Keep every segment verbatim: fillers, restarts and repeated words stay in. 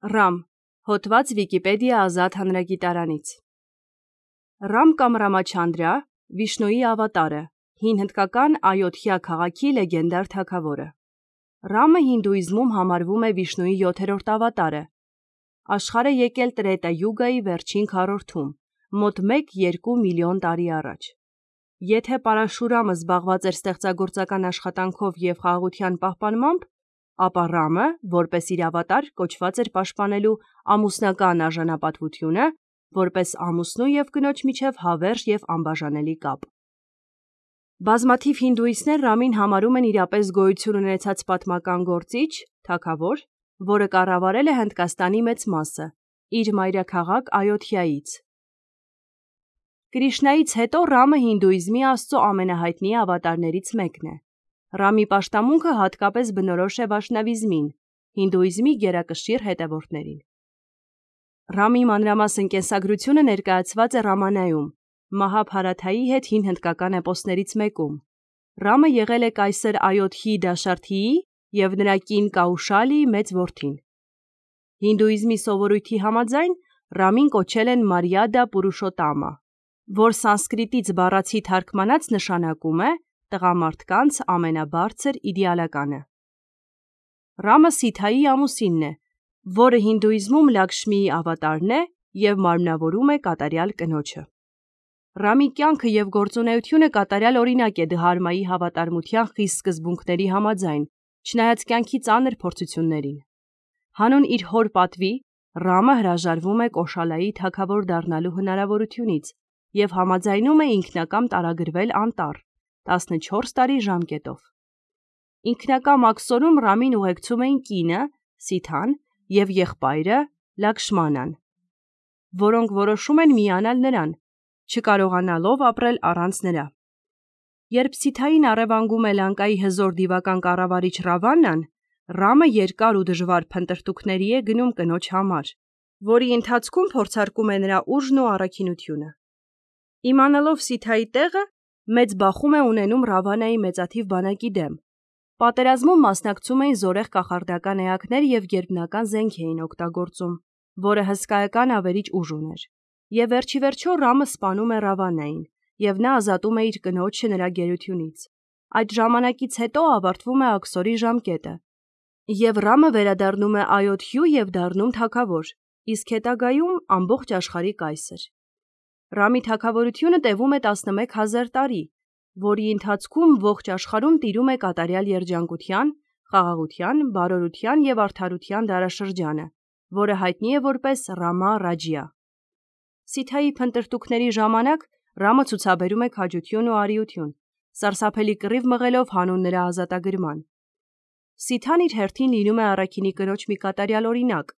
Ռամ, հոդված Վիկիպեդիա ազատ հանրագիտարանից։ Ռամ կամ Ռամաչանդրա Վիշնուի ավատարը, հին հնդկական Այոդհյա քաղաքի լեգենդար թագավորը։ Ռամը հինդուիզմում համարվում է Վիշնուի յոթերորդ ավատարը։ Աշխարհ է եկել Տրետա Յուգայի վերջին քառորդում, մոտ մեկ երկու միլիոն տարի առաջ։ Եթե Պարաշուրամը զբաղված էր ստեղծագործական աշխատանքով և խաղաղության պահպանմամբ, ապա Ռամը, որպես իր ավատար, կոչված էր պաշտպանելու ամուսնական արժանապատվությունը, որպես ամուսնու և կնոջ միջև հավերժ և անբաժանելի կապ։ Բազմաթիվ հինդուիստներ Ռամին համարում են իրապես գոյություն ունեցած պատմական գործիչ, թագավոր, որը կառավարել է Հնդկաստանի մեծ մասը, իր մայրաքաղաք Այոդհյայից։ Կրիշնայից հետո Ռամը հինդուիզմի Աստծո ամենահայտնի ավատարներից մեկն է։ Ռամի պաշտամունքը հատկապես բնորոշ է վայշնավիզմին, հինդուիզմի գերակշիռ հետևորդներին։ Ռամի մանրամասն կենսագրությունը ներկայացված է Ռամանայում, Մահաբհարաթայի հետ հին հնդկական էպոսներից մեկում։ Ռամը եղել է կայսր Այոդհի Դաշարթիի և նրա կին Կաուշալիի մեծ որդին։ Հինդուիզմի սովորույթի համաձայն Ռամին կոչել են Մարիադա Պուրուշոտամա, որ սանսկրիտից բառացի թարգմանած նշանակում է «տղամարդկանց ամենաբարձր իդեալականը»։ Ռամը Սիթայի ամուսինն է, որը հինդուիզմում Լաքշմիի ավատարն է և մարմնավորում է կատարյալ կնոջը։ Ռամի կյանքը և գործունեությունը կատարյալ օրինակ է Դհարմայի հավատարմության խիստ սկզբունքների համաձայն, չնայած կյանքի ծանր փորձություններին։ Հանուն իր հոր պատվի, Ռամը հրաժարվում է Կոշալայի թագավոր դառնալու հնարավորությունից և համաձայնում է ինքնակամ տարագրվել անտառ տասնչորս տարի ժամկետով։ Ինքնակամ աքսորում Ռամին ուղեկցում էին կինը՝ Սիթան և եղբայրը՝ Լաքշմանան, որոնք որոշում են միանալ նրան, չկարողանալով ապրել առանց նրա։ Երբ Սիթային առևանգում է Լանկայի հզոր դիվական կառավարիչ Ռավանան, Ռամը երկար ու դժվար փնտրտուքների է գնում կնոջ համար, որի ընթացքում փորձարկում է նրա ուժն ու առաքինությունը։ Իմանալով Սիթայի տեղը, մեծ բախում է ունենում Ռավանայի մեծաթիվ բանակի դեմ։ Պատերազմում մասնակցում էին զորեղ կախարդական էակներ և գերբնական զենք էին օգտագործում, որը հսկայական ավերիչ ուժ ուներ։ Եվ վերջիվերջո Ռամը սպանում է Ռավանային, և նա ազատում է իր կնոջը նրա գերությունից։ Այդ ժամանակից հետո ավարտվում է աքսորի ժամկետը, և Ռամը վերադառնում է Այոդհյու և դառնում թագավոր, իսկ հետագայում ամբողջ աշխարհի կայսր։ Ռամի թագավորությունը տևում է տասնմեկ հազար տարի, որի ընթացքում ողջ աշխարհում տիրում է կատարյալ երջանկության, խաղաղության, բարորության և արդարության դարաշրջանը, որը հայտնի է որպես Ռամա Ռաջյա։ Սիթայի փնտրտուքների ժամանակ Ռամը ցուցաբերում է քաջություն ու արիություն, սարսափելի կռիվ մղելով հանուն նրա ազատագրման։ Սիթան իր հերթին լինում է առաքինի կնոջ մի կատարյալ օրինակ,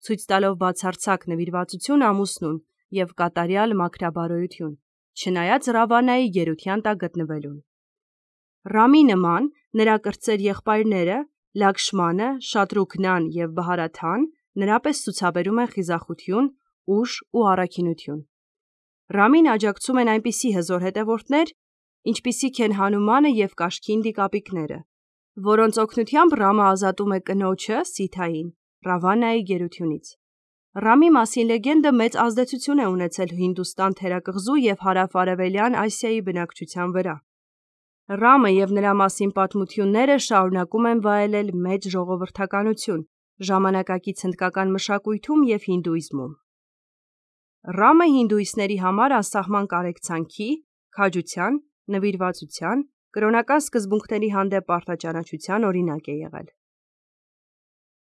ցույց տալով բացարձակ նվիրվածություն ամուսնուն և կատարյալ մաքրաբարոյություն, չնայած Ռավանայի գերության տակ գտնվելուն։ Ռամի նման նրա կրտսեր եղբայրները՝ Լաքշմանը, Շատրուգնան և Բհարաթան, նրա պես ցուցաբերում են խիզախություն, ուժ ու առաքինություն։ Ռամին աջակցում են այնպիսի հզոր հետևորդներ, ինչպիսիք են Հանումանը և Կաշքինդի կապիկները, որոնց օգնությամբ Ռամը ազատում է կնոջը՝ Սիթային, Ռավանայի գերությունից։ Ռամի մասին լեգենդը մեծ ազդեցություն է ունեցել Հինդուստան թերակղզու և հարավ-արևելյան Ասիայի բնակչության վրա։ Ռամը և նրա մասին պատմությունները շարունակում են վայելել մեծ ժողովրդականություն ժամանակակից հնդկական մշակույթում և հինդուիզմում։ Ռամը հինդուիստների համար անսահման կարեկցանքի, քաջության, նվիրվածության, կրոնական սկզբունքների հանդեպ պարտաճանաչության օրինակ է եղել։